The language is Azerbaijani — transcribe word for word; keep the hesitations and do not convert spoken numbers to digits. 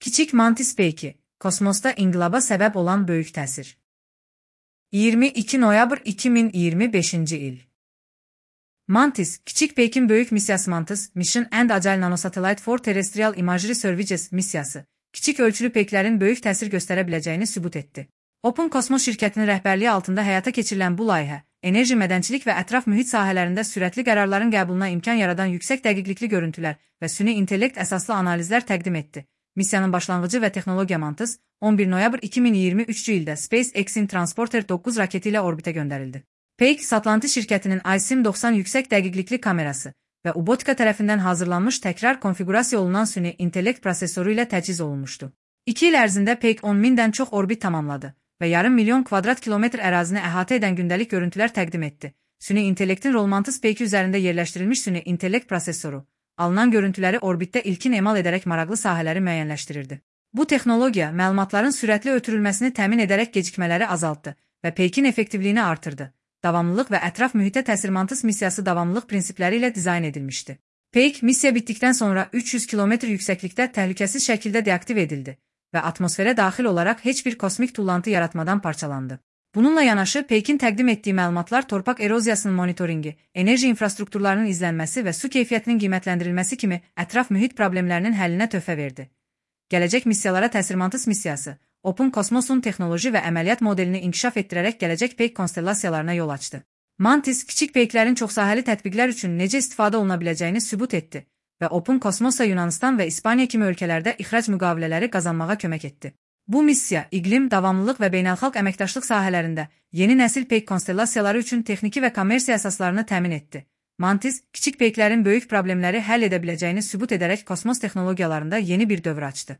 Kiçik Mantis peyki, kosmosda inqilaba səbəb olan böyük təsir. iyirmi iki noyabr iki min iyirmi beşinci il. Mantis, kiçik peykin böyük missiyası Mantis, Mission and Agile Nanosatellite for Terrestrial Imagery Services missiyası, kiçik ölçülü peyklərin böyük təsir göstərə biləcəyini sübut etdi. Open Kosmos şirkətinin rəhbərliyi altında həyata keçirilən bu layihə, enerji, mədənçilik və ətraf mühit sahələrində sürətli qərarların qəbuluna imkan yaradan yüksək dəqiqlikli görüntülər və süni intellekt əsaslı analizlər təqdim etdi. Missiyanın başlanğıcı və texnologiya Mantis, on bir noyabr iki min iyirmi üçüncü ildə SpaceX-in Transporter doqquz raketi ilə orbitə göndərildi. Peyk, Satlanti şirkətinin I S I M doxsan yüksək dəqiqlikli kamerası və Ubotika tərəfindən hazırlanmış təkrar konfigurasiya olunan süni intellekt prosesoru ilə təchiz olunmuşdu. İki il ərzində Peyk on mindən çox orbit tamamladı və yarım milyon kvadrat kilometr ərazini əhatə edən gündəlik görüntülər təqdim etdi. Süni intellektin rol Mantis Peyki üzərində yerləşdirilmiş süni intellekt prosesoru, alınan görüntüləri orbitdə ilkin emal edərək maraqlı sahələri müəyyənləşdirirdi. Bu texnologiya məlumatların sürətli ötürülməsini təmin edərək gecikmələri azaltdı və Peykin effektivliyini artırdı. Davamlılıq və ətraf mühitə təsir Mantis missiyası davamlılıq prinsipləri ilə dizayn edilmişdi. Peyk, missiya bitdikdən sonra üç yüz kilometr yüksəklikdə təhlükəsiz şəkildə deaktiv edildi və atmosferə daxil olaraq heç bir kosmik tullantı yaratmadan parçalandı. Bununla yanaşı, Peykin təqdim etdiyi məlumatlar torpaq eroziyasının monitoringi, enerji infrastrukturlarının izlənməsi və su keyfiyyətinin qiymətləndirilməsi kimi ətraf mühit problemlərinin həllinə töhfə verdi. Gələcək missiyalara təsir Mantis missiyası, Open Kosmosun texnoloji və əməliyyat modelini inkişaf etdirərək gələcək peyk konstellasiyalarına yol açdı. Mantis, kiçik peyklərin çoxsahəli tətbiqlər üçün necə istifadə oluna biləcəyini sübut etdi və Open Kosmosa Yunanistan və İspaniya kimi ölkələrdə ixrac müqavilələri qazanmağa kömək etdi. Bu missiya, iqlim, davamlılıq və beynəlxalq əməkdaşlıq sahələrində yeni nəsil peyk konstellasiyaları üçün texniki və kommersiya əsaslarını təmin etdi. Mantis, kiçik peyklərin böyük problemləri həll edə biləcəyini sübut edərək kosmos texnologiyalarında yeni bir dövr açdı.